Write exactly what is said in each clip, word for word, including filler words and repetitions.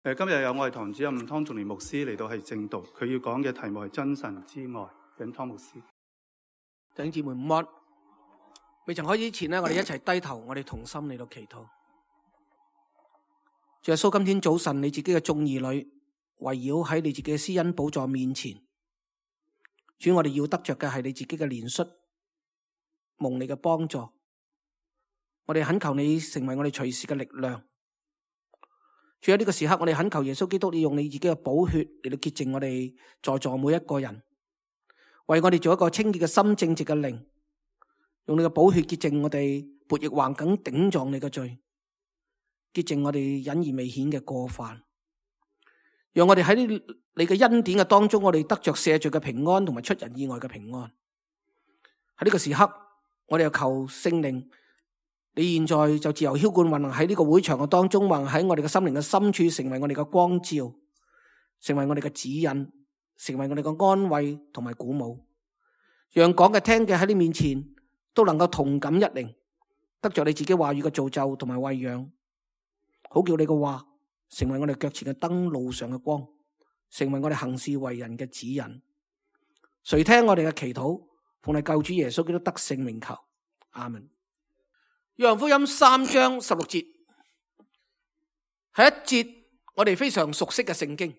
誒，今日有我哋堂主任湯仲年牧師嚟到係正道，佢要講嘅題目係真神之愛。請湯牧師。弟兄姊妹午安。未曾開始之前呢，我哋一齊低頭，我哋同心嚟到祈禱。主耶穌，今天早晨你自己嘅眾兒女圍繞喺你自己嘅施恩寶座面前，主，我哋要得着嘅係你自己嘅憐恤，蒙你嘅幫助。我哋懇求你成為我哋隨時嘅力量。主，喺呢個時刻，我哋懇求耶穌基督，你用你自己嘅寶血嚟到潔淨我哋在座每一個人，為我哋做一個清潔嘅心、正直嘅靈，用你嘅寶血潔淨我哋悖逆橫梗頂撞你嘅罪，潔淨我哋隱而未顯嘅過犯，讓我哋喺你嘅恩典嘅當中，我哋得着赦罪嘅平安同埋出人意外嘅平安。喺呢個時刻，我哋又求聖靈，你現在就自由澆灌運行喺呢個會場嘅當中，運喺我哋嘅心靈嘅深處，成為我哋嘅光照，成為我哋嘅指引，成為我哋嘅安慰同埋鼓舞，讓講嘅聽嘅喺你面前都能夠同感一靈，得着你自己話語嘅造就同埋餵養，好叫你嘅話成為我哋腳前嘅燈，路上嘅光，成為我哋行事為人嘅指引。垂聽我哋嘅祈禱，奉你救主耶穌基督得勝名求，阿門。約翰福音三章十六節係一節我哋非常熟悉嘅聖經。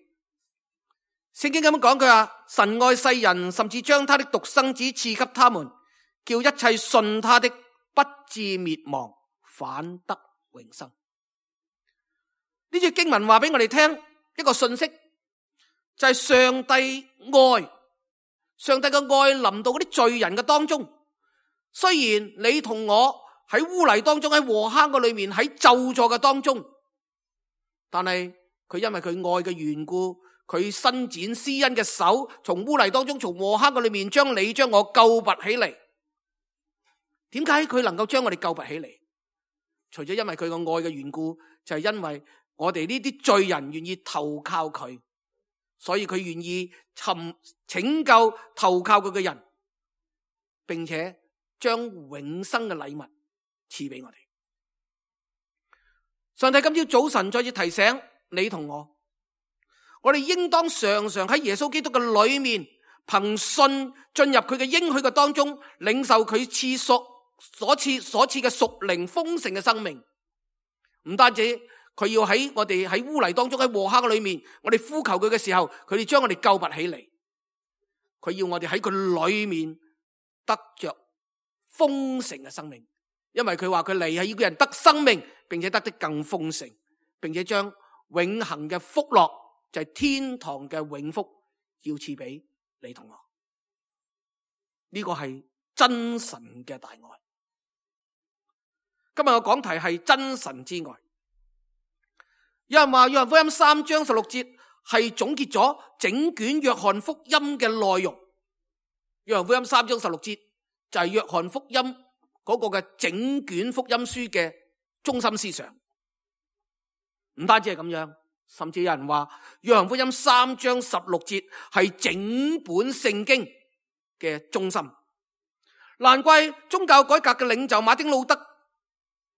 聖經咁樣講，佢話神愛世人，甚至將他的獨生子賜給他們，叫一切信他的不至滅亡，反得永生。呢節經文話俾我哋聽一個信息，就係上帝愛，上帝嘅愛臨到嗰啲罪人嘅當中。雖然你同我喺污泥當中，喺禍坑嘅裏面，喺咒詛嘅當中，但係佢因為佢愛嘅緣故，佢伸展施恩嘅手，從污泥當中，從禍坑嘅裏面將你將我救拔起嚟。點解佢能夠將我哋救拔起嚟？除咗因為佢個愛嘅緣故，就係因為我哋呢啲罪人願意投靠佢，所以佢願意尋拯救投靠佢嘅人，並且將永生嘅禮物賜俾我哋。上帝今朝早晨再次提醒你同我，我哋應當常常喺耶穌基督嘅裏面，憑信進入佢嘅應許嘅當中，領受佢賜屬所賜所賜嘅屬靈豐盛嘅生命。唔單止佢要喺我哋喺污泥當中，喺禍坑嘅裏面，我哋呼求佢嘅時候，佢哋將我哋救拔起嚟。佢要我哋喺佢裏面得着豐盛嘅生命。因為佢話佢嚟係要叫人得生命，並且得的更豐盛，並且將永恆嘅福樂，就係天堂嘅永福，要賜俾你同我。呢個係真神嘅大愛。今日嘅講題係真神之愛。有人話約翰福音三章十六節係總結咗整卷約翰福音嘅內容。約翰福音三章十六節就係約翰福音嗰個嘅整卷福音書嘅中心思想。唔單止係咁樣，甚至有人話約翰福音三章十六節係整本聖經嘅中心。難怪宗教改革嘅領袖馬丁路德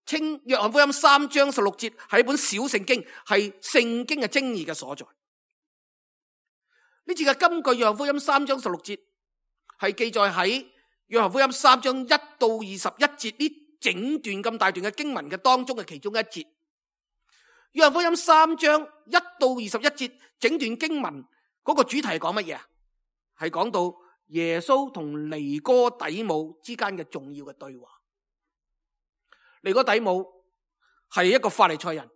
稱約翰福音三章十六節係一本小聖經，係聖經嘅精義嘅所在。呢次嘅金句約翰福音三章十六節係記載喺約翰福音三章一到二十一節呢整段咁大段嘅經文嘅當中嘅其中一節。約翰福音三章一到二十一節整段經文嗰個主題係講乜嘢啊？係講到耶穌同尼哥底母之間嘅重要嘅對話。尼哥底母係一個法利賽人，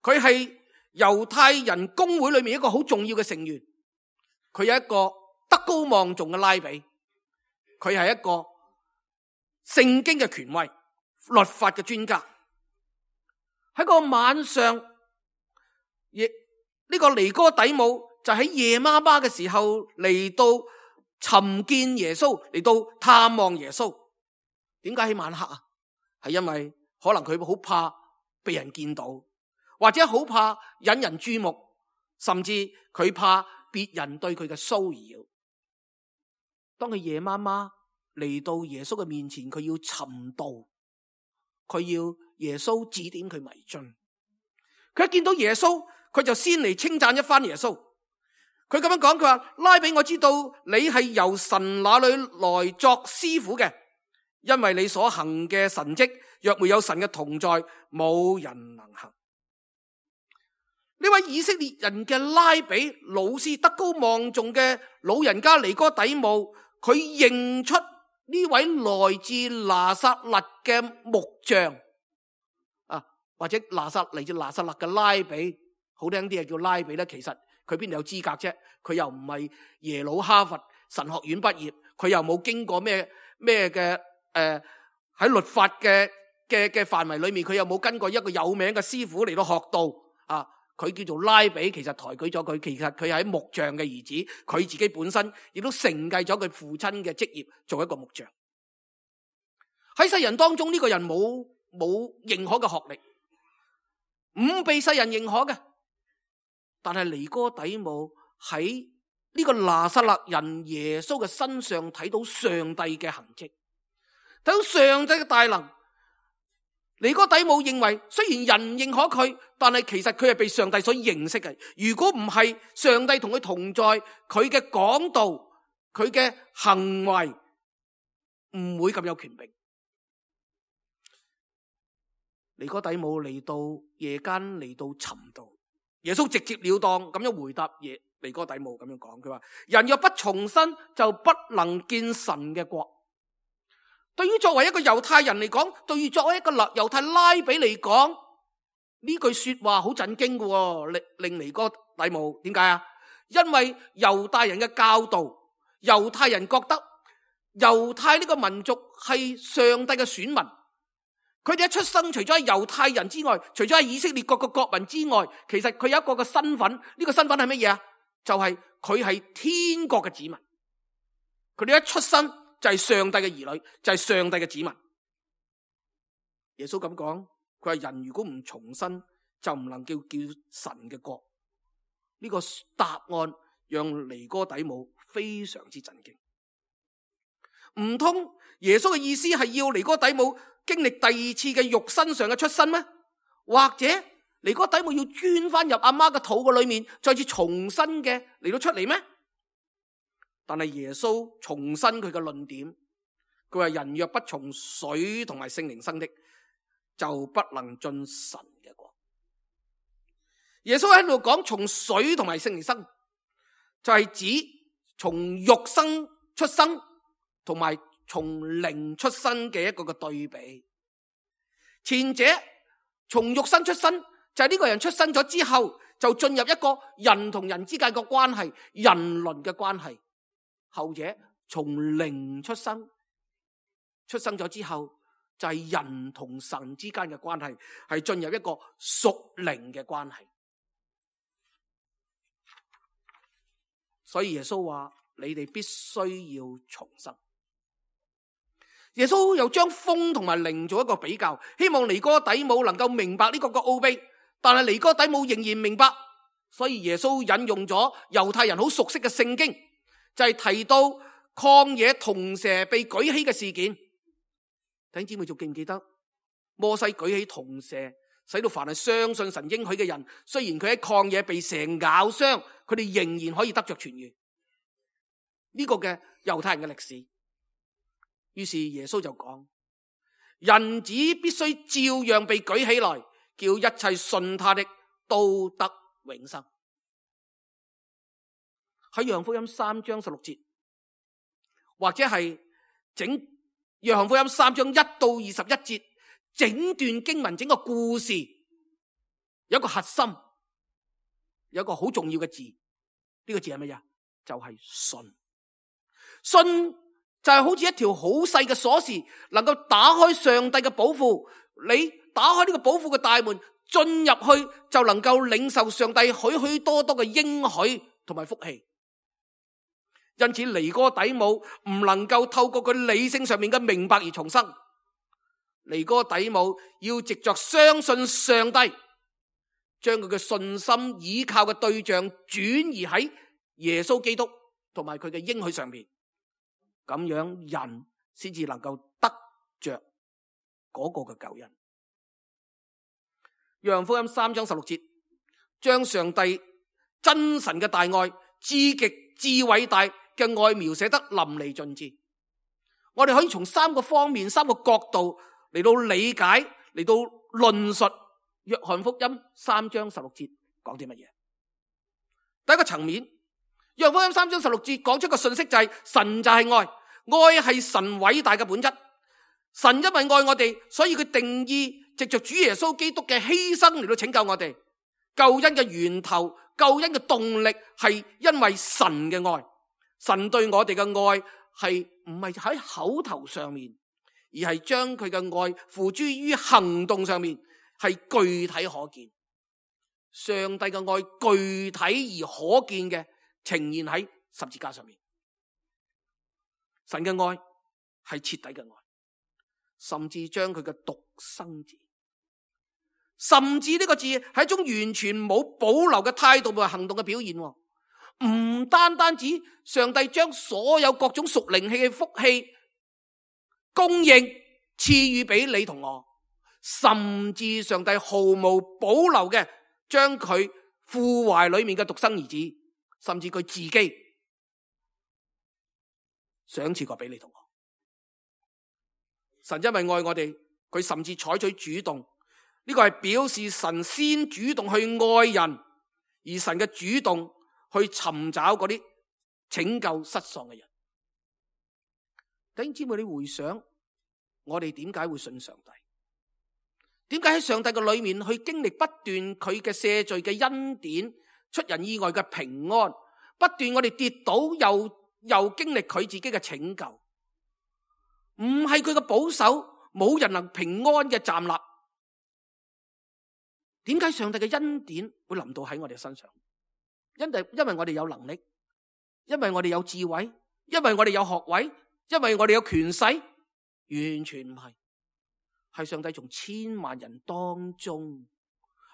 佢係猶太人公會裏面一個好重要嘅成員，佢有一個德高望重嘅拉比。佢係一個聖經嘅權威，律法嘅專家。喺個晚上，亦呢個尼哥底母就喺夜媽媽嘅時候嚟到尋見耶穌，嚟到探望耶穌。點解喺晚黑啊？係因為可能佢好怕被人見到，或者好怕引人注目，甚至佢怕別人對佢嘅騷擾。當佢夜媽媽嚟到耶穌嘅面前，佢要尋道，佢要耶穌指點佢迷津。佢一見到耶穌，佢就先嚟稱讚一番耶穌。佢咁樣講，佢話：拉比，我知道你係由神那裏來作師傅嘅，因為你所行嘅神蹟，若沒有神嘅同在，冇人能行。呢位以色列人嘅拉比老師，德高望重嘅老人家尼哥底母，佢認出呢位來自拿撒勒嘅木匠啊，或者拿撒嚟自拿撒勒嘅拉比，好聽啲係叫拉比咧。其實佢邊度有資格啫？佢又唔係耶魯哈佛神學院畢業，佢又冇經過咩咩嘅誒喺律法嘅嘅嘅範圍裏面，佢又冇跟過一個有名嘅師傅嚟到學道啊。佢叫做拉比，其實抬舉咗佢，其實佢係木匠嘅兒子，佢自己本身亦都承繼咗佢父親嘅職業，做一個木匠。喺世人當中，呢個人冇冇認可嘅學歷，唔被世人認可嘅。但係尼哥底母喺呢個拿撒勒人耶穌嘅身上睇到上帝嘅痕跡，睇到上帝嘅大能。尼哥底母認為，雖然人認可佢，但係其實佢係被上帝所認識嘅。如果唔係上帝同佢同在，佢嘅講道，佢嘅行為唔會咁有權柄。尼哥底母嚟到夜間嚟到尋道，耶穌直截了當咁樣回答耶尼哥底母咁樣講，佢話：人若不重生，就不能見神嘅國。對於作為一個猶太人嚟講，對於作為一個猶太拉比嚟講，呢句說話好震驚嘅，令令尼哥底母點解啊？因為猶太人嘅教導，猶太人覺得猶太呢個民族係上帝嘅選民，佢哋一出生除咗係猶太人之外，除咗係以色列各個國民之外，其實佢有一個嘅身份，呢、這個身份係乜嘢啊？就係佢係天國嘅子民，佢哋一出生就係上帝嘅兒女，就係上帝嘅子民。耶穌咁講，佢話人如果唔重生，就唔能叫叫神嘅國。呢個答案讓尼哥底母非常之震驚。唔通耶穌嘅意思係要尼哥底母經歷第二次嘅肉身上嘅出生咩？或者尼哥底母要鑽翻入阿媽嘅肚嘅裏面，再次重新嘅嚟到出嚟咩？但係耶穌重申佢嘅論點，佢話人若不從水同埋聖靈生的，就不能進神嘅國。耶穌喺度講從水同埋聖靈生，就係指從肉身出生同埋從靈出生嘅一個嘅對比。前者從肉身出生，就係呢個人出生咗之後，就進入一個人同人之間嘅關係，人倫嘅關係。後者從靈出生，出生咗之後就係人同神之間嘅關係，係進入一個屬靈嘅關係。所以耶穌話：你哋必須要重生。耶穌又將風同埋靈做一個比較，希望尼哥底母能夠明白呢個個奧秘，但係尼哥底母仍然明白，所以耶穌引用咗猶太人好熟悉嘅聖經，就係提到曠野銅蛇被舉起嘅事件。弟兄姊妹仲記唔記得摩西舉起銅蛇，使到凡係相信神應許嘅人，雖然佢喺曠野被蛇咬傷，佢哋仍然可以得着痊癒。呢個嘅猶太人嘅歷史。於是耶穌就講：人子必須照樣被舉起來，叫一切信他的都得永生。喺約翰福音三章十六節，或者係整約翰福音三章一到二十一節，整段經文整個故事有一個核心，有一個好重要嘅字，呢、這個字係乜嘢？就係、是、信。信就係好似一條好細嘅鎖匙，能夠打開上帝嘅寶庫。你打開呢個寶庫嘅大門，進入去就能夠領受上帝許許多多嘅應許同埋福氣。因此尼哥底母唔能夠透過佢理性上面嘅明白而重生，尼哥底母要藉着相信上帝，將佢嘅信心倚靠嘅對象轉移喺耶穌基督同埋佢嘅應許上面，咁樣人先至能夠得着嗰個嘅救恩。約翰福音三章十六節，將上帝真神嘅大愛、至極至偉大嘅愛描寫得淋漓盡致。我哋可以從三個方面、三個角度嚟到理解、嚟到論述約翰福音三章十六節講啲乜嘢。第一個層面，約翰福音三章十六節講出個信息就係神就係愛，愛係神偉大嘅本質。神因為愛我哋，所以佢定義藉着主耶穌基督嘅犧牲嚟到拯救我哋。救恩嘅源頭、救恩嘅動力係因為神嘅愛。神對我哋嘅愛係唔係喺口頭上面，而係將佢嘅愛付諸於行動上面，係具體可見。上帝嘅愛具體而可見嘅呈現喺十字架上面。神嘅愛係徹底嘅愛，甚至將佢嘅獨生子，甚至呢個字係一種完全冇保留嘅態度同行動嘅表現。唔單單止上帝將所有各種屬靈氣嘅福氣供應賜予俾你同我，甚至上帝毫無保留嘅將佢父懷裏面嘅獨生兒子，甚至佢自己賞賜過俾你同我。神因為愛我哋，佢甚至採取主動，呢個係表示神先主動去愛人，而神嘅主動去尋找嗰啲拯救失喪嘅人。弟兄姊妹，你回想我哋點解會信上帝？點解喺上帝嘅裏面去經歷不斷佢嘅赦罪嘅恩典、出人意外嘅平安，不斷我哋跌倒又又經歷佢自己嘅拯救？唔係佢嘅保守，冇人能平安嘅站立。點解上帝嘅恩典會臨到喺我哋身上？因為因為我哋有能力，因為我哋有智慧，因為我哋有學位，因為我哋有權勢，完全唔係。係上帝從千萬人當中，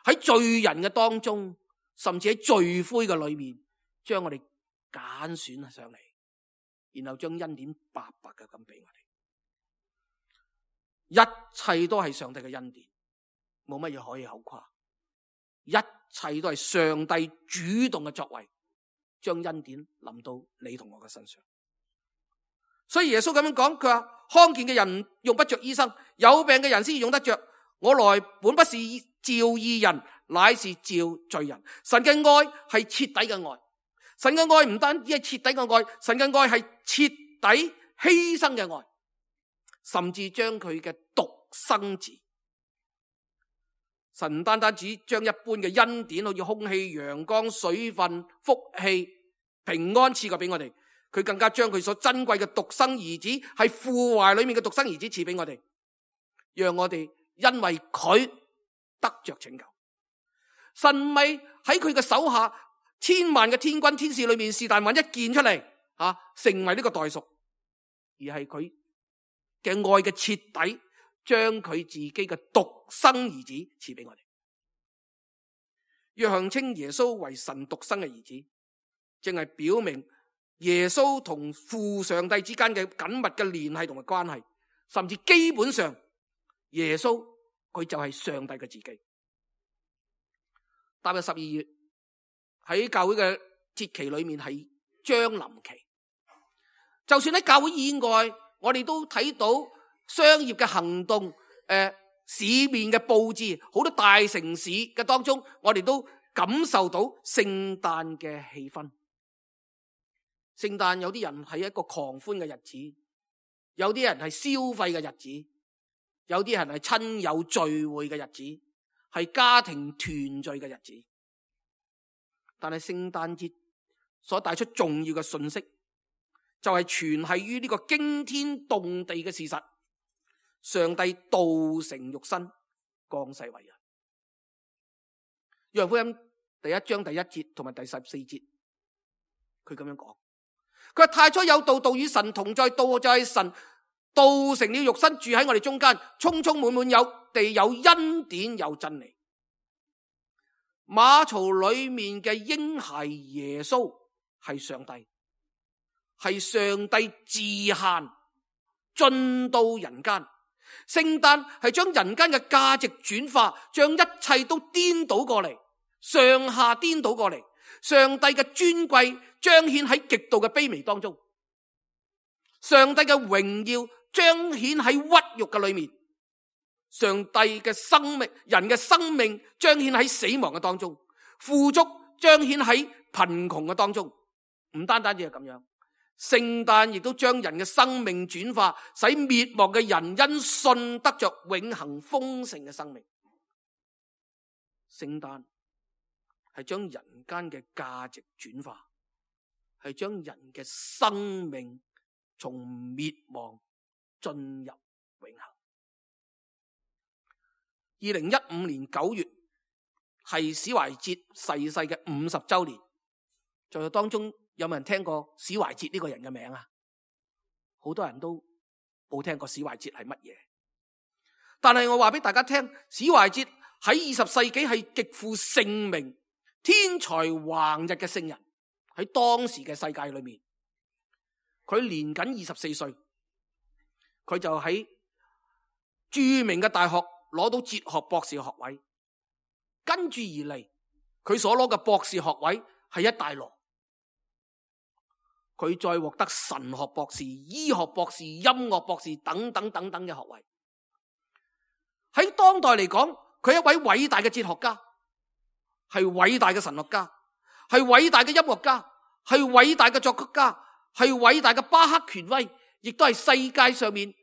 喺罪人嘅當中，甚至喺罪灰嘅裏面，將我哋揀選上嚟，然後將恩典白白嘅咁俾我哋。一切都係上帝嘅恩典，冇乜嘢可以口誇。一切都係上帝主動嘅作為，將恩典臨到你同我嘅身上。所以耶穌咁樣講，佢話康健嘅人用不着醫生，有病嘅人先用得着。我來本不是召義人，乃是召罪人。神嘅愛係徹底嘅愛，神嘅愛唔單止係徹底嘅愛，神嘅愛係徹底犧牲嘅愛，甚至將佢嘅獨生子。神唔單單只將一般嘅恩典，好似空氣、陽光、水分、福氣、平安賜過俾我哋，佢更加將佢所珍貴嘅獨生兒子，係父懷裏面嘅獨生兒子賜俾我哋，讓我哋因為佢得着拯救。神唔係喺佢嘅手下千萬嘅天軍天使裏面是但揾一件出嚟啊，成為呢個代贖，而係佢嘅愛嘅徹底，將佢自己嘅獨生兒子賜俾我哋。約翰稱耶穌為神獨生嘅兒子，正係表明耶穌同父上帝之間嘅緊密嘅聯繫同埋關係，甚至基本上耶穌佢就係上帝嘅自己。踏入十二月，喺教會嘅節期裏面係將臨期，就算喺教會以外，我哋都睇到商業嘅行動，誒、呃，市面嘅佈置，好多大城市嘅當中，我哋都感受到聖誕嘅氣氛。聖誕有啲人係一個狂歡嘅日子，有啲人係消費嘅日子，有啲人係親友聚會嘅日子，係家庭團聚嘅日子。但係聖誕節所帶出重要嘅信息，就係全係於呢個驚天動地嘅事實，上帝道成肉身，降世為人。約翰福音第一章第一節同埋第十四節，佢咁樣講，佢話太初有道，道與神同在，道就係神，道成了肉身，住喺我哋中間，充充滿滿有地，有恩典，有真理。馬槽裏面嘅嬰孩耶穌係上帝，係上帝自限進到人間。聖誕係將人間嘅價值轉化，將一切都顛倒過嚟。上下顛倒過嚟，上帝嘅尊貴彰顯喺極度嘅卑微當中，上帝嘅榮耀彰顯喺屈辱嘅裏面，上帝嘅生命，人嘅生命彰顯喺死亡嘅當中，富足彰顯喺貧窮嘅當中。唔單單只係咁樣，聖誕亦都將人嘅生命轉化，使滅亡嘅人因信得着永恆豐盛嘅生命。聖誕係將人間嘅價值轉化，係將人嘅生命從滅亡進入永恆。二零一五年九月係史懷哲逝世嘅五十周年，在當中有冇人聽過史懷哲呢個人嘅名啊？好多人都冇聽過史懷哲係乜嘢，但係我話俾大家聽，史懷哲喺二十世紀係極負盛名、天才橫溢嘅聖人。喺當時嘅世界裏面，佢年僅二十四歲，佢就喺著名嘅大學攞到哲學博士學位，跟住而嚟，佢所攞嘅博士學位係一大摞。佢再獲得神學博士、醫學博士、音樂博士等等等等嘅學位。喺當代嚟講，佢係一位偉大嘅哲學家，係偉大嘅神學家，係偉大嘅音樂家，係偉大嘅作曲家，係偉大嘅巴赫權威，亦都係世界上面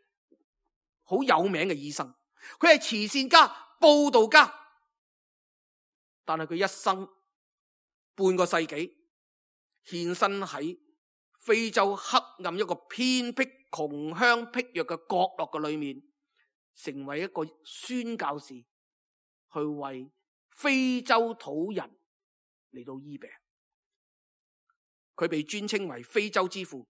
好有名嘅醫生。佢係慈善家、佈道家，但係佢一生半個世紀獻身喺非洲黑暗一個偏僻、窮鄉僻壤嘅角落嘅裏面，成為一個宣教士，去為非洲土人嚟到醫病。佢被尊稱為非洲之父。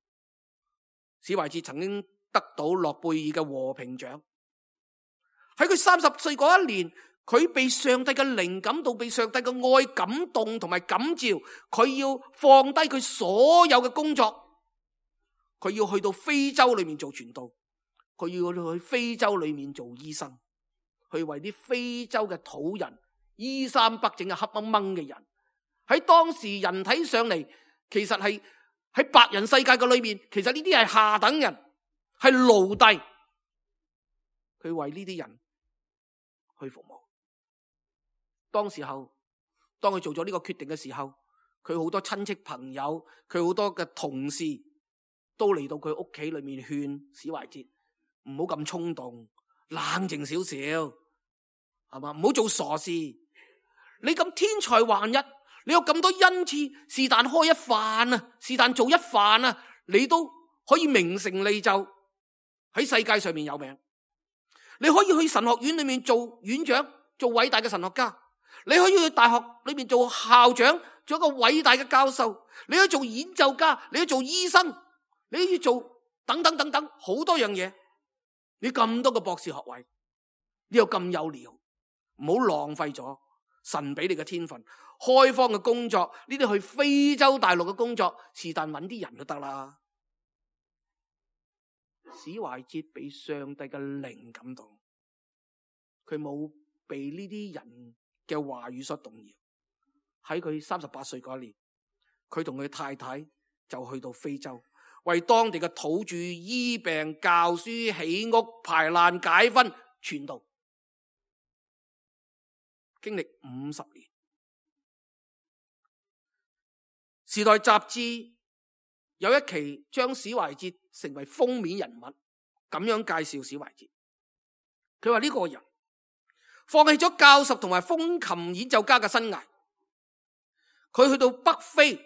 史懷哲曾經得到諾貝爾嘅和平獎。喺佢三十歲嗰一年，佢被上帝嘅靈感到，被上帝嘅愛感動同埋感召，佢要放低佢所有嘅工作，佢要去到非洲裏面做傳道，佢要去非洲裏面做醫生，去為啲非洲嘅土人衣衫不整嘅黑掹掹嘅人。喺當時人睇上嚟，其實係喺白人世界嘅裏面，其實呢啲係下等人，係奴隸。佢為呢啲人去服務。當時候，當佢做咗呢個決定嘅時候，佢好多親戚朋友，佢好多嘅同事都嚟到佢屋企裏面勸史懷哲唔好咁衝動，冷靜少少，係嘛？唔好做傻事。你咁天才橫溢，你有咁多恩賜，是但開一飯啊，是但做一飯啊，你都可以名成利就，喺世界上面有名。你可以去神學院裏面做院長，做偉大嘅神學家。你可以去大學裏面做校長，做一個偉大嘅教授。你可以做演奏家，你可以做醫生，你可以做等等等等好多樣嘢。你咁多個博士學位，你又咁有料，唔好浪費咗神俾你嘅天分。開荒嘅工作，呢啲去非洲大陸嘅工作，是但揾啲人就得啦。史懷哲被上帝嘅靈感動，佢冇被呢啲人嘅話語所動搖。喺佢三十八歲嗰年，佢同佢太太就去到非洲，為當地嘅土著醫病、教書、起屋、排難解紛、傳道，經歷五十年。時代雜誌有一期將史懷哲成為封面人物，咁樣介紹史懷哲。佢話呢個人放棄咗教授同埋風琴演奏家嘅生涯，佢去到北非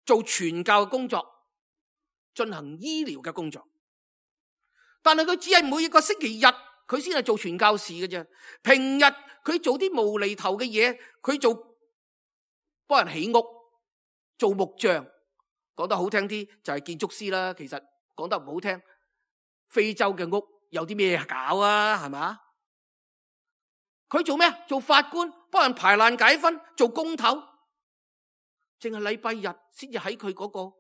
做傳教嘅工作，進行醫療嘅工作。但係佢只係每一個星期日佢先係做傳教士嘅啫，平日佢做啲無厘頭嘅嘢，佢做幫人起屋、做木匠，講得好聽啲就係建築師啦。其實講得唔好聽，非洲嘅屋有啲咩搞啊？係嘛？佢做咩？做法官，幫人排難解紛，做工頭。淨係禮拜日先至喺佢嗰個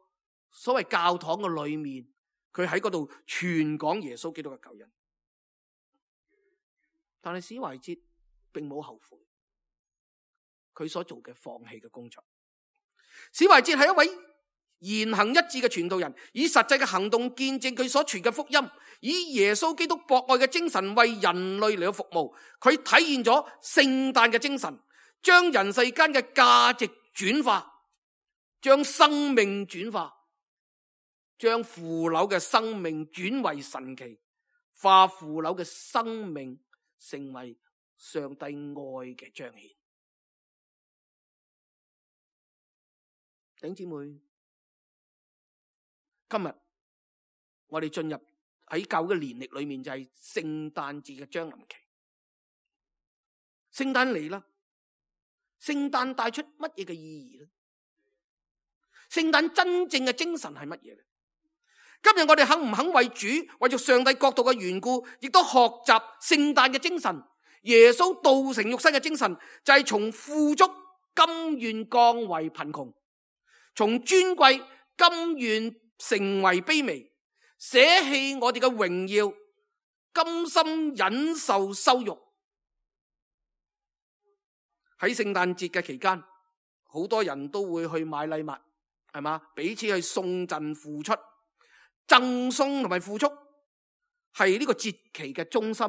所謂教堂嘅裏面，佢喺嗰度傳講耶穌基督嘅救恩。但係史懷哲並冇後悔，佢所做嘅放棄嘅工作。史懷哲係一位言行一致嘅傳道人，以實際嘅行動見證佢所傳嘅福音，以耶穌基督博愛嘅精神為人類嚟到服務。佢體現咗聖誕嘅精神，將人世間嘅價值轉化，將生命轉化，將腐朽嘅生命轉為神奇，化腐朽嘅生命成為上帝愛嘅彰顯。弟兄姊妹，今日我哋進入喺教會嘅年曆裏面，就係聖誕節嘅將臨期。聖誕嚟啦，聖誕帶出乜嘢嘅意義呢？聖誕真正嘅精神係乜嘢呢？今日我哋肯唔肯為主，為咗上帝國度嘅緣故，亦都學習聖誕嘅精神？耶穌道成肉身嘅精神，就係從富足甘願降為貧窮，從尊貴甘願成為卑微，捨棄我哋嘅榮耀，甘心忍受羞辱。喺聖誕節嘅期間，好多人都會去買禮物，係嘛？彼此去送贈付出，贈送同埋付出係呢個節期嘅中心。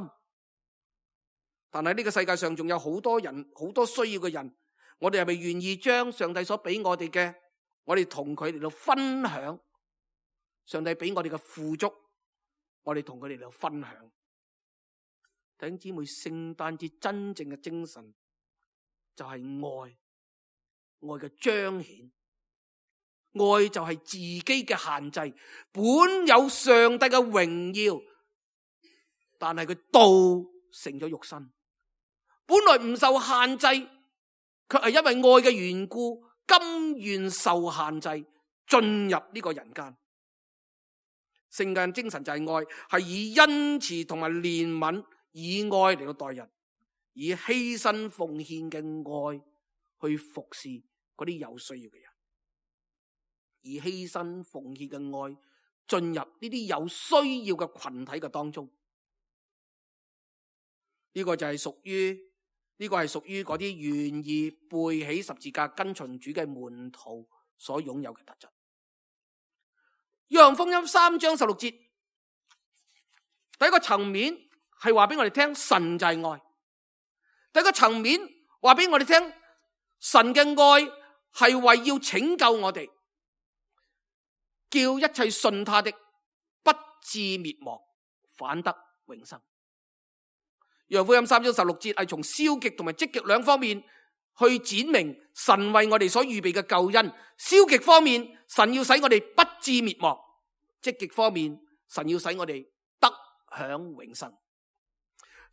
但係呢個世界上仲有好多人，好多需要嘅人，我哋係咪願意將上帝所俾我哋嘅，我哋同佢哋嚟到分享？上帝俾我哋嘅富足，我哋同佢哋嚟到分享。弟兄姊妹，聖誕節真正嘅精神就係愛，愛嘅彰顯。愛就係自己嘅限制，本有上帝嘅榮耀，但係佢道成咗肉身，本來唔受限制，卻係因為愛嘅緣故，甘願受限制，進入呢個人間。聖誕精神就係愛，係以恩慈同埋憐憫，以愛嚟到待人，以犧牲奉獻嘅愛去服侍嗰啲有需要嘅人，以犧牲奉獻嘅愛進入呢啲有需要嘅群體嘅當中。呢個就係屬於呢個係屬於嗰啲願意背起十字架跟隨主嘅門徒所擁有嘅特質。約翰福音三章十六節，第一個層面係話俾我哋聽，神就係愛。第一個層面話俾我哋聽，神嘅愛係為要拯救我哋，叫一切信他的不至滅亡，反得永生。約翰福音三章十六節係從消極同埋積極兩方面去展明神為我哋所預備嘅救恩。消極方面，神要使我哋不至滅亡；積極方面，神要使我哋得享永生。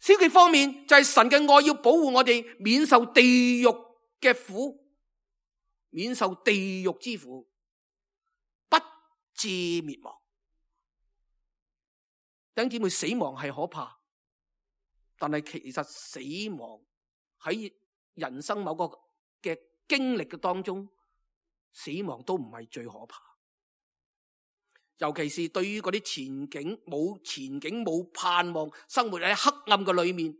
消極方面就係神嘅愛要保護我哋免受地獄嘅苦，免受地獄之苦，不至滅亡。弟兄姊妹，死亡係可怕，但係其實死亡喺人生某個嘅經歷嘅當中，死亡都唔係最可怕。尤其是對於嗰啲前景冇前景冇盼望，生活喺黑暗嘅裏面，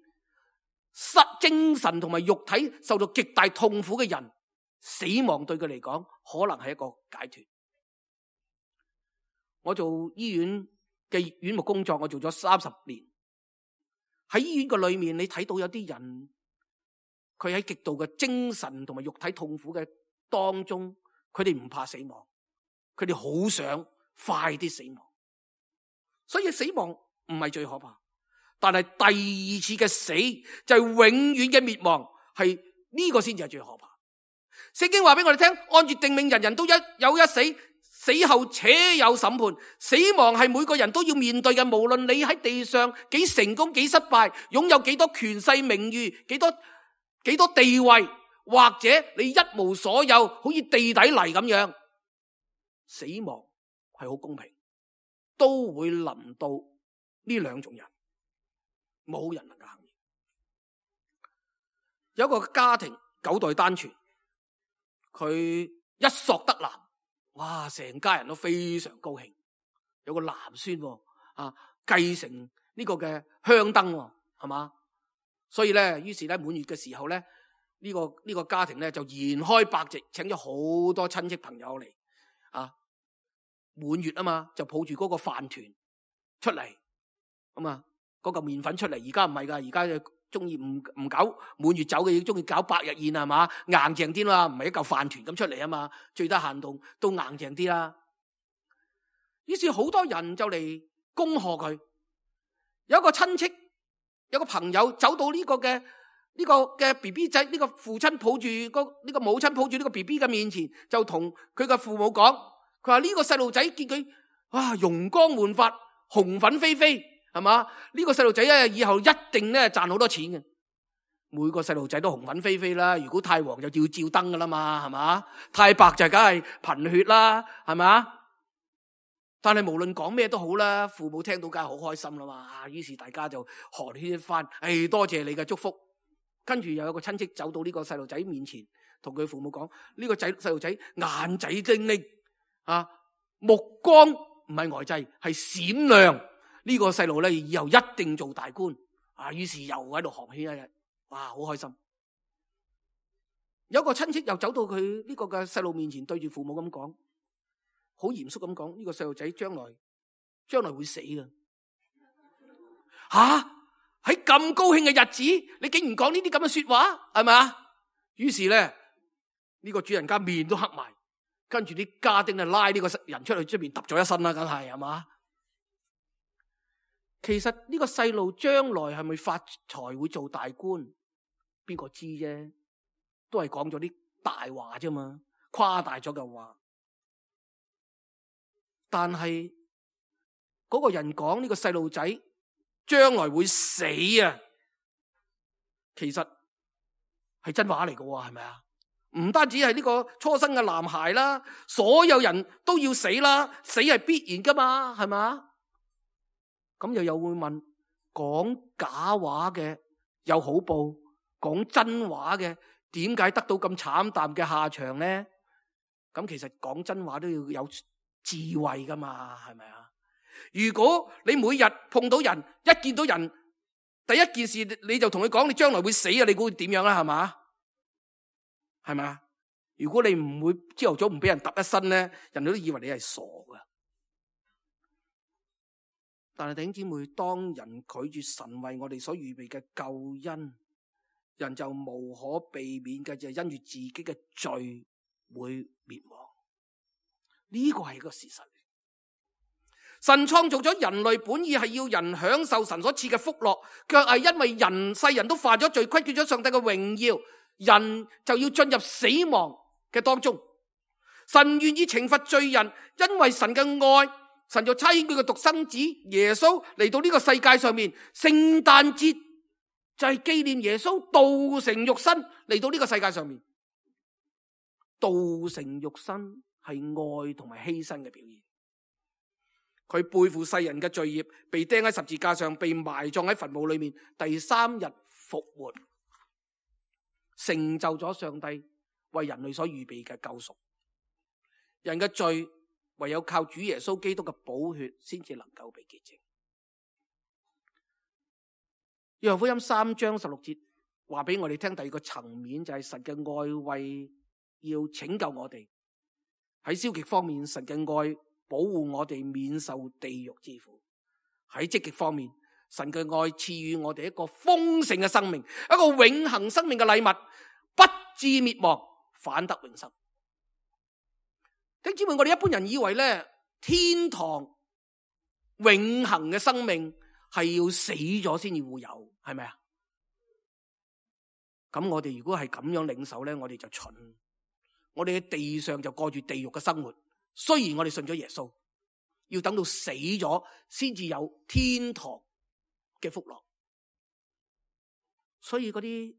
失精神同埋肉體受到極大痛苦嘅人，死亡對佢嚟講可能係一個解脫。我做醫院嘅院牧工作，我做咗三十年。喺醫院嘅裏面，你睇到有啲人，佢喺極度嘅精神同埋肉體痛苦嘅當中，佢哋唔怕死亡，佢哋好想快啲死亡。所以死亡唔係最可怕，但係第二次嘅死就係永遠嘅滅亡，係呢個先至係最可怕。聖經話俾我哋聽，按住定命，人人都一有一死，死後且有審判。死亡係每個人都要面對嘅，無論你喺地上幾成功幾失敗，擁有幾多權勢名譽，幾多幾多地位，或者你一無所有，好似地底泥咁樣，死亡係好公平，都會臨到呢兩種人，冇人能夠幸免。有一個家庭九代單傳，佢一索得男，哇！成家人都非常高興，有個男孫啊，繼承呢個嘅香燈，係嘛？所以咧，於是咧滿月嘅時候咧，呢個呢個家庭咧就筵開百席，請咗好多親戚朋友嚟啊！滿月啊嘛，就抱住嗰個飯團出嚟，咁啊嗰嚿麵粉出嚟。而家唔係噶，而家就中意唔唔搞滿月酒嘅，中意搞百日宴係嘛，硬淨啲啦，唔係一嚿飯團咁出嚟啊嘛，最低限度都硬淨啲啦。於是好多人就嚟恭賀佢。有一個親戚，有個朋友走到呢個嘅呢個嘅 B B 仔，呢個父親抱住個呢個母親抱住呢個 B B 嘅面前，就同佢嘅父母講，佢話呢個細路仔見佢哇容光煥發，紅粉飛飛，係嘛？呢個細路仔咧以後一定咧賺好多錢嘅。每個細路仔都紅粉飛飛啦，如果太黃就要照燈噶啦嘛，係嘛？太白就梗係貧血啦，係嘛？但係無論講咩都好啦，父母聽到梗係好開心啦嘛。於是大家就寒暄一番，誒、哎，多謝你嘅祝福。跟住又有個親戚走到呢個細路仔面前，同佢父母講：呢、這個仔細路仔眼仔精靈啊，目光唔係呆滯，係閃亮。呢、這個細路咧以後一定做大官啊。於是又喺度寒暄一日，哇，好開心。有個親戚又走到佢呢個嘅細路面前，對住父母咁講。好嚴肅咁講，呢個細路仔將來將來會死㗎。吓，喺咁高興嘅日子，你竟然講呢啲咁嘅說話，係咪啊？於是咧，呢個主人家面都黑埋，跟住啲家丁啊拉呢個人出去出邊揼咗一身啦，梗係係嘛？其實呢個細路將來係咪發財會做大官，邊個知啫？都係講咗啲大話啫嘛，誇大咗嘅話。但係嗰個人講呢個細路仔將來會死啊，其實係真話嚟嘅，係咪啊？唔單止係呢個初生嘅男孩啦，所有人都要死啦，死係必然噶嘛，係咪啊？咁又有會問，講假話嘅有好報，講真話嘅點解得到咁慘淡嘅下場呢？咁其實講真話都要有智慧噶嘛，係咪啊？如果你每日碰到人，一見到人，第一件事你就同佢講你將來會死啊，你估會點樣啦？係嘛？係咪啊？如果你唔會朝頭早唔俾人揼一身咧，人哋都以為你係傻噶。但係弟兄姊妹，當人拒絕神為我哋所預備嘅救恩，人就無可避免嘅就係因住自己嘅罪會滅亡。呢個係一個事實。神創造咗人類，本意係要人享受神所賜嘅福樂，卻係因為人世人都犯咗罪，虧缺咗上帝嘅榮耀，人就要進入死亡嘅當中。神願意懲罰罪人，因為神嘅愛，神就差遣佢嘅獨生子耶穌嚟到呢個世界上面。聖誕節就係紀念耶穌道成肉身嚟到呢個世界上面。道成肉身係愛同埋犧牲嘅表現。佢背負世人嘅罪孽，被釘喺十字架上，被埋葬喺墳墓裏面，第三日復活，成就咗上帝為人類所預備嘅救贖。人嘅罪唯有靠主耶穌基督嘅寶血先至能夠被潔淨。約翰福音三章十六節話俾我哋聽，第二個層面就係神嘅愛為要拯救我哋。喺消極方面，神嘅愛保護我哋免受地獄之苦；喺積極方面，神嘅愛賜予我哋一個豐盛嘅生命，一個永恆生命嘅禮物，不致滅亡，反得永生。弟兄姊妹，我哋一般人以為咧，天堂永恆嘅生命係要死咗先至會有，係咪啊？咁我哋如果係咁樣領受咧，我哋就蠢。我哋喺地上就過住地獄嘅生活。雖然我哋信咗耶穌，要等到死咗先至有天堂嘅福樂。所以嗰啲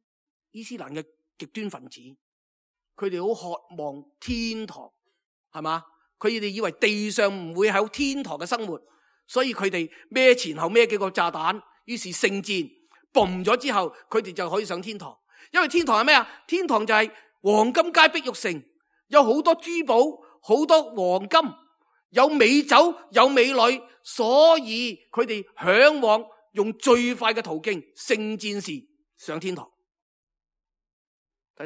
伊斯蘭嘅極端分子，佢哋好渴望天堂，係嘛？佢哋以為地上唔會有天堂嘅生活，所以佢哋孭前後孭幾個炸彈，於是聖戰嘣咗之後，佢哋就可以上天堂。因為天堂係咩啊？天堂就係黃金街碧玉城，有好多珠寶，好多黃金，有美酒，有美女，所以佢哋向往用最快嘅途徑，聖戰士上天堂。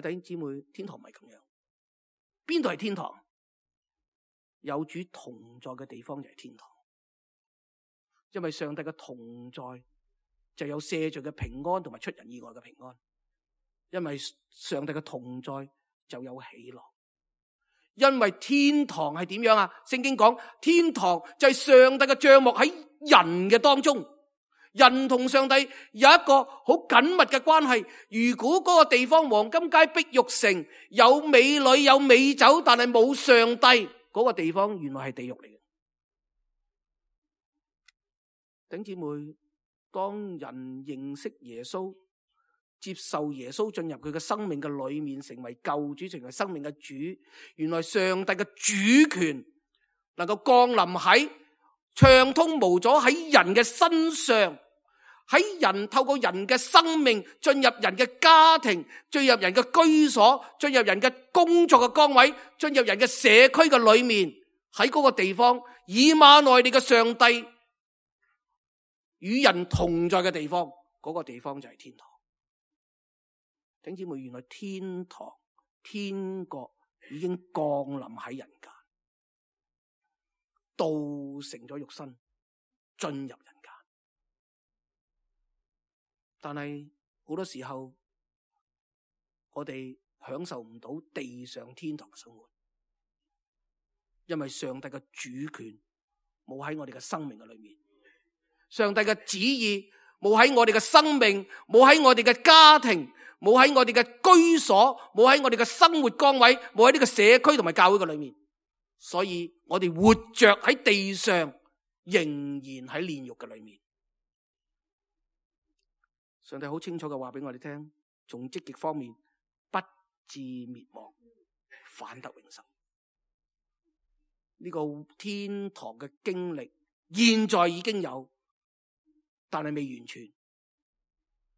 弟兄姊妹，天堂唔係咁樣。邊度係天堂？有主同在嘅地方就係天堂。因為上帝嘅同在就有赦罪嘅平安同埋出人意外嘅平安。因為上帝嘅同在就有喜樂。因為天堂係點樣啊？聖經講天堂就係上帝嘅帳幕喺人嘅當中。人同上帝有一個好緊密嘅關係。如果嗰個地方黃金街碧玉城有美女有美酒，但係冇上帝，嗰個地方原來係地獄嚟嘅。弟兄姊妹，當人認識耶穌，接受耶穌進入佢嘅生命嘅裏面，成為救主，成為生命嘅主，原來上帝嘅主權能夠降臨喺暢通無阻喺人嘅身上。喺人透過人嘅生命進入人嘅家庭，進入人嘅居所，進入人嘅工作嘅崗位，進入人嘅社區嘅裏面，喺嗰個地方以馬內利嘅上帝與人同在嘅地方，嗰個地方就係天堂。弟兄姊妹，原來天堂天國已經降臨喺人間，道成咗肉身進入人間。但係好多時候，我哋享受唔到地上天堂嘅生活，因為上帝嘅主權冇喺我哋嘅生命嘅裏面，上帝嘅旨意冇喺我哋嘅生命，冇喺我哋嘅家庭，冇喺我哋嘅居所，冇喺我哋嘅生活崗位，冇喺呢個社區同埋教會嘅裏面。所以我哋活着喺地上，仍然喺煉獄嘅裏面。上帝好清楚嘅話俾我哋聽，從積極方面，不致滅亡，反得永生。呢個天堂嘅經歷，現在已經有，但係未完全。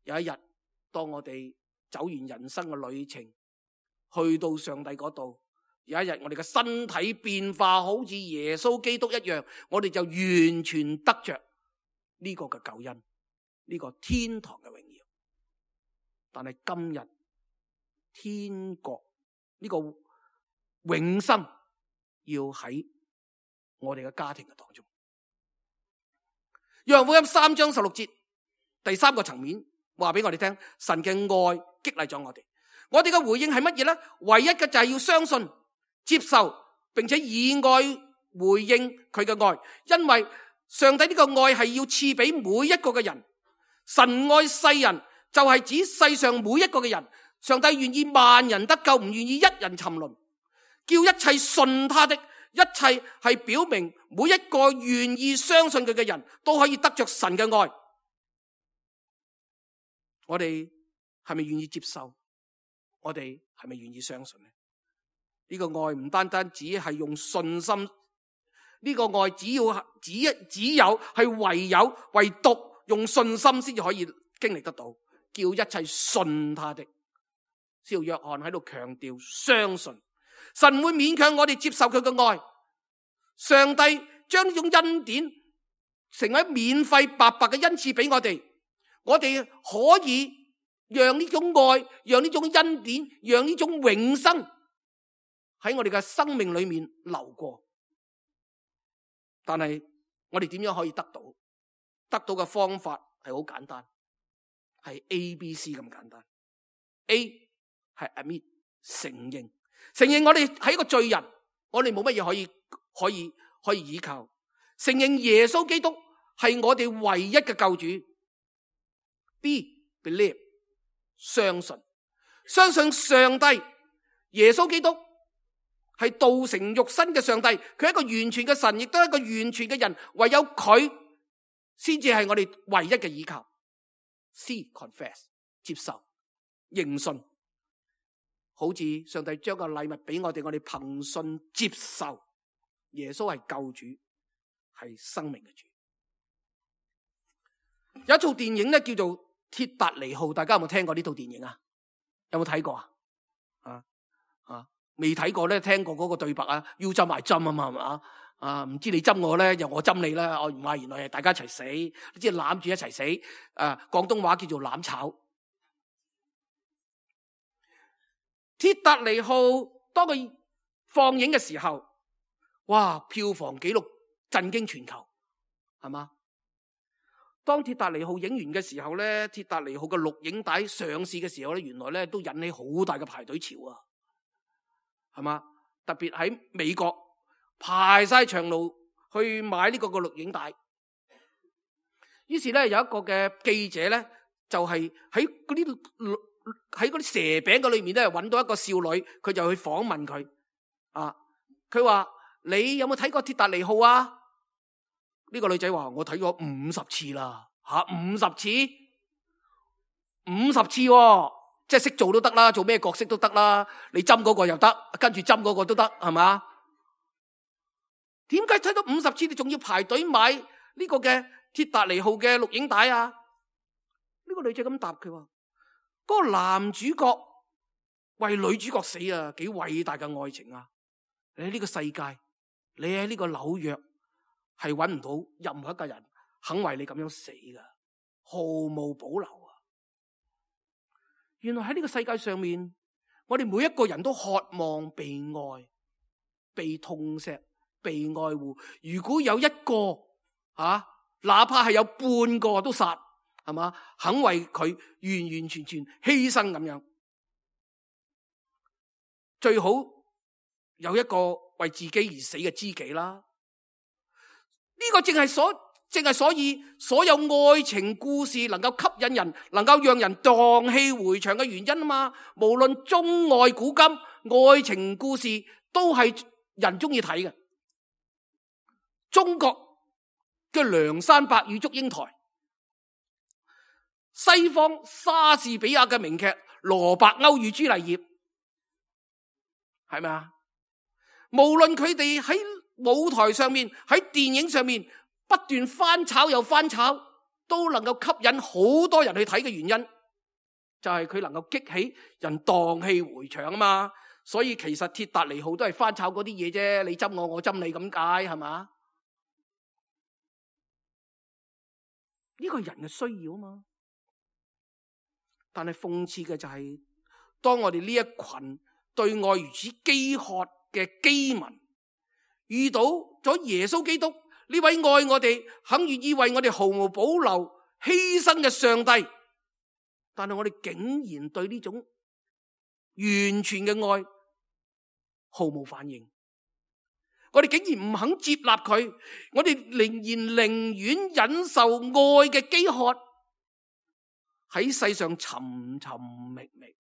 有一日，當我哋走完人生嘅旅程，去到上帝嗰度，有一日我哋嘅身體變化好似耶穌基督一樣，我哋就完全得着呢個嘅救恩。呢個天堂嘅榮耀，但係今日天國呢個永生要喺我哋嘅家庭嘅當中。約翰福音三章十六節，第三個層面話俾我哋聽，神嘅愛激勵咗我哋。我哋嘅回應係乜嘢呢？唯一嘅就係要相信、接受，並且以愛回應佢嘅愛，因為上帝呢個愛係要賜俾每一個嘅人。神愛世人，就係指世上每一個嘅人。上帝願意萬人得救，唔願意一人沉淪，叫一切信他的，一切係表明每一個願意相信佢嘅人都可以得着神嘅愛。我哋係咪願意接受？我哋係咪願意相信呢？呢個愛唔單單只係用信心，呢個愛只要只只有係唯有唯獨用信心先至可以經歷得到，叫一切信他的。使徒約翰喺度強調相信，神會勉強我哋接受佢嘅愛。上帝將呢種恩典成為免費白白嘅恩賜俾我哋，我哋可以讓呢種愛，讓呢種恩典，讓呢種永生喺我哋嘅生命裏面流過。但係我哋點樣可以得到？得到嘅方法係好簡單，係 A B C 咁簡單。A 係 admit 承認，承認我哋係一個罪人，我哋冇乜嘢可以可以可以依靠。承認耶穌基督係我哋唯一嘅救主。B believe 相信，相信上帝耶穌基督係道成肉身嘅上帝，佢係一個完全嘅神，亦都係一個完全嘅人，唯有佢先至係我哋唯一嘅依靠。C confess 接受認信，好似上帝將個禮物俾我哋，我哋憑信接受耶穌係救主，係生命嘅主。有一套電影咧叫做《鐵達尼號》，大家有冇聽過呢套電影啊？有冇睇過啊？啊啊，未睇過咧，聽過嗰個對白啊，要針埋針啊嘛，係嘛？啊，唔知你針我咧，又我針你啦。我唔係，原來係大家一齊死，即係攬住一齊死。啊，廣東話叫做攬炒。鐵達尼號當佢放映嘅時候，哇！票房紀錄震驚全球，係嘛？當鐵達尼號影完嘅時候咧，鐵達尼號嘅錄影帶上市嘅時候咧，原來咧都引起好大嘅排隊潮啊，係嘛？特別喺美國排晒長路去買呢個個錄影帶。於是咧有一個嘅記者咧，就係喺嗰啲喺嗰啲蛇餅嘅裏面咧，揾到一個少女，佢就去訪問佢。啊，佢話：你有冇睇過鐵達尼號啊？呢個女仔話：我睇過五十次啦，吓五十次，五十次，哦，即係識做都得啦，做咩角色都得啦。你針嗰個又得，跟住針嗰個都得，係嘛？點解睇到五十次你仲要排隊買呢個嘅鐵達尼號嘅錄影帶啊？呢個女仔咁答佢話：嗰個男主角為女主角死啊，幾偉大嘅愛情啊！你喺呢個世界，你喺呢個紐約係揾唔到任何一個人肯為你咁樣死噶，毫無保留啊！原來喺呢個世界上面，我哋每一個人都渴望被愛、被痛錫、被愛護。如果有一個啊，哪怕係有半個都殺，係嘛？肯為佢完完全全犧牲咁樣，最好有一個為自己而死嘅知己啦。呢個正係所正係所以所有愛情故事能夠吸引人，能夠讓人蕩氣迴腸嘅原因啊嘛。無論中外古今，愛情故事都係人中意睇嘅。中國嘅梁山伯與祝英台，西方莎士比亞嘅名劇羅伯歐與朱麗葉，係咪啊？無論佢哋喺舞台上面，喺電影上面不斷翻炒又翻炒，都能夠吸引好多人去睇嘅原因，就係佢能夠激起人蕩氣迴腸啊嘛。所以其實鐵達尼號都係翻炒嗰啲嘢啫，你針我，我針你咁解，係嘛？呢個係人嘅需要啊嘛。但係諷刺嘅就係，當我哋呢一群對愛如此飢渴嘅飢民，遇到咗耶穌基督呢位愛我哋、肯願意為我哋毫無保留犧牲嘅上帝，但係我哋竟然對呢種完全嘅愛毫無反應，我哋竟然唔肯接納佢，我哋仍然寧願忍受愛嘅飢渴，喺世上尋尋覓覓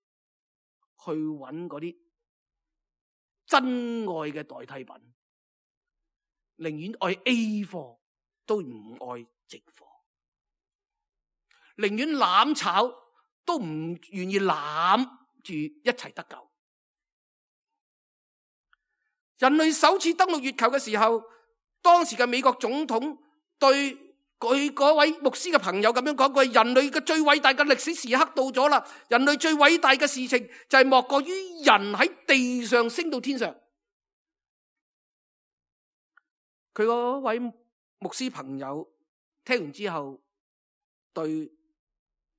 去揾嗰啲真愛嘅代替品，寧願愛 A 貨都唔愛直貨，寧願攬炒都唔願意攬住一齊得救。人類首次登陸月球嘅時候，當時嘅美國總統對佢嗰位牧師嘅朋友咁樣講過：人類嘅最偉大嘅歷史時刻到咗啦！人類最偉大嘅事情就係莫過於人喺地上升到天上。佢嗰位牧師朋友聽完之後，對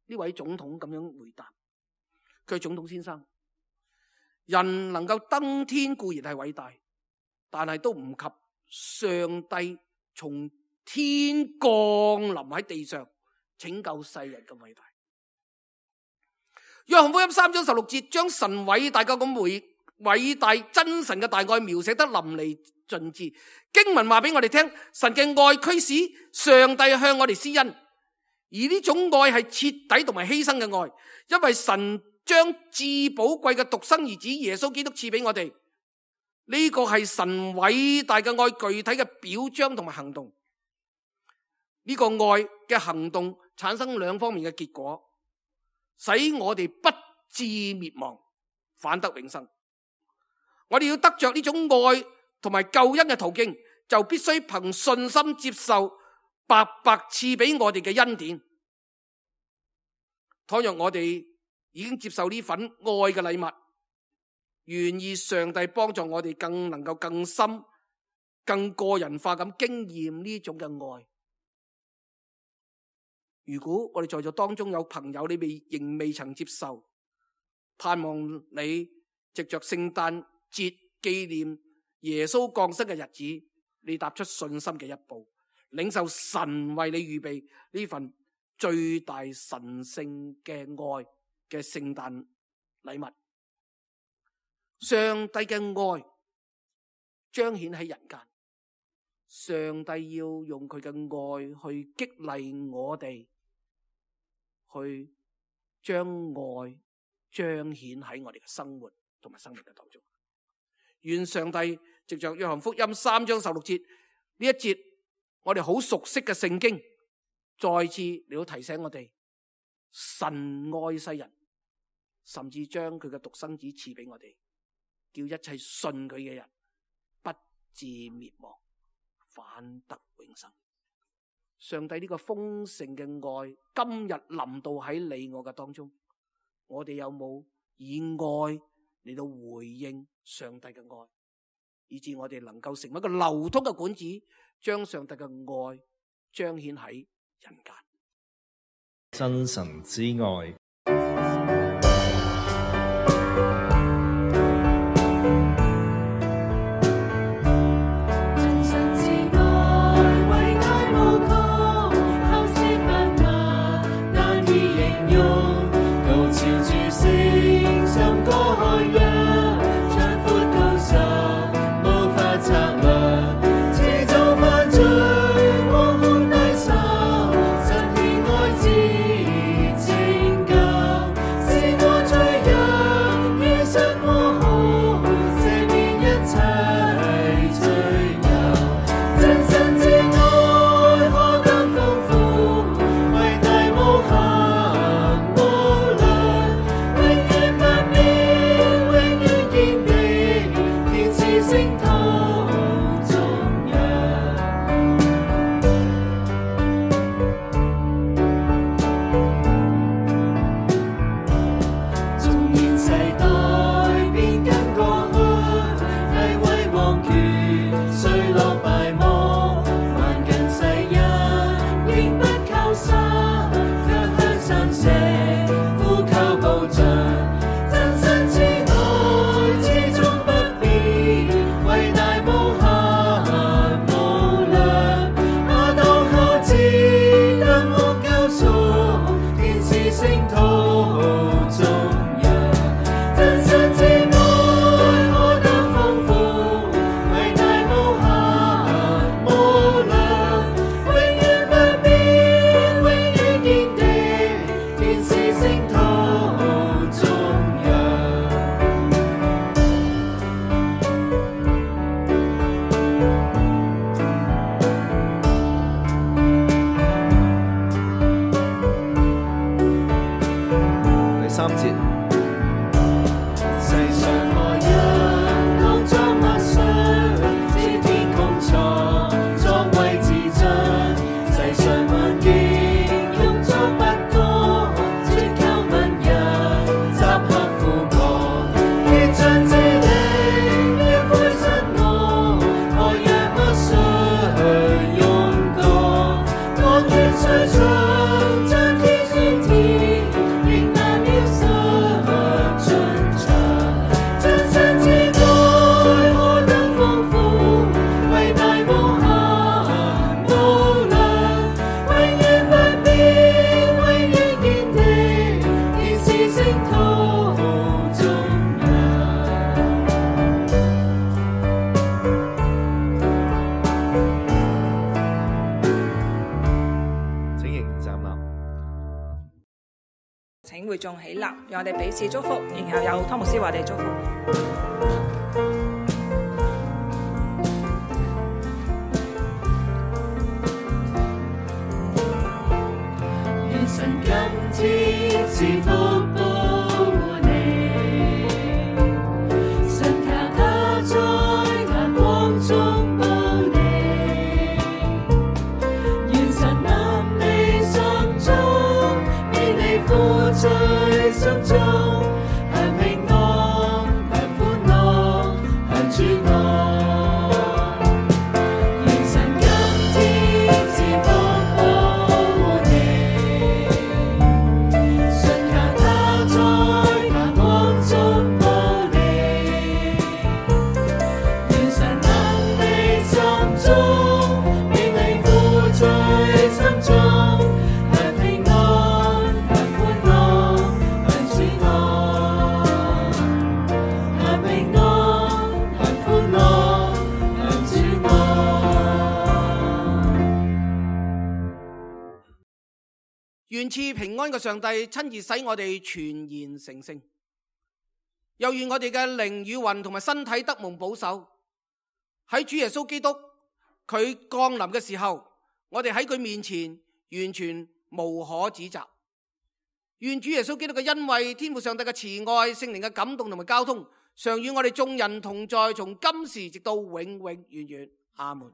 呢位總統咁樣回答：佢係總統先生，人能夠登天固然係偉大，但係都唔及上帝從天降臨喺地上拯救世人咁偉大。約翰福音三章十六節將神偉大嘅咁偉偉大真神嘅大愛描寫得淋漓盡致。經文話俾我哋聽，神嘅愛驅使上帝向我哋施恩，而呢種愛係徹底同埋犧牲嘅愛，因為神將至寶貴嘅獨生兒子耶穌基督賜俾我哋。呢個係神偉大嘅愛具體嘅表彰同埋行動。呢個愛嘅行動產生兩方面嘅結果，使我哋不致滅亡，反得永生。我哋要得着呢種愛同埋救恩嘅途徑，就必須憑信心接受白白賜俾我哋嘅恩典。倘若我哋已經接受呢份愛嘅禮物，願意上帝幫助我哋更能夠更深、更個人化咁經驗呢種嘅愛。如果我哋在座當中有朋友你未仍未曾接受，盼望你藉着聖誕節紀念耶穌降生嘅日子，你踏出信心嘅一步，領受神為你預備呢份最大神聖嘅愛嘅聖誕禮物。上帝嘅愛彰顯喺人間，上帝要用佢嘅愛去激勵我哋，去將愛彰顯喺我哋嘅生活同埋生命嘅當中。願上帝藉着約翰福音三章十六節呢一節我哋好熟悉嘅聖經，再次嚟到提醒我哋，神愛世人，甚至將佢嘅獨生子賜俾我哋，叫一切信佢嘅人不至滅亡，反得永生。上帝呢個豐盛嘅愛今日臨到喺你我嘅當中，我哋有冇以愛嚟到回應上帝嘅愛，以致我哋能夠成為一個流通嘅管子，將上帝嘅愛彰顯喺人間。真神之愛。請會眾起立，讓我哋彼此祝福，然後有湯牧師為我哋祝福。願神今天賜福保護你，神靠他在他光中保你，願神臨你心中，免你苦在心中，享平安，享歡樂，享主愛。願神今天賜福保護你，信靠他願賜平安嘅上帝親自使我哋全然成聖，又願我哋嘅靈與魂同埋身體得蒙保守。喺主耶穌基督佢降臨嘅時候，我哋喺佢面前完全無可指責。願主耶穌基督嘅恩惠、天父上帝嘅慈愛、聖靈嘅感動同埋交通，常與我哋眾人同在，從今時直到永永遠遠。阿門。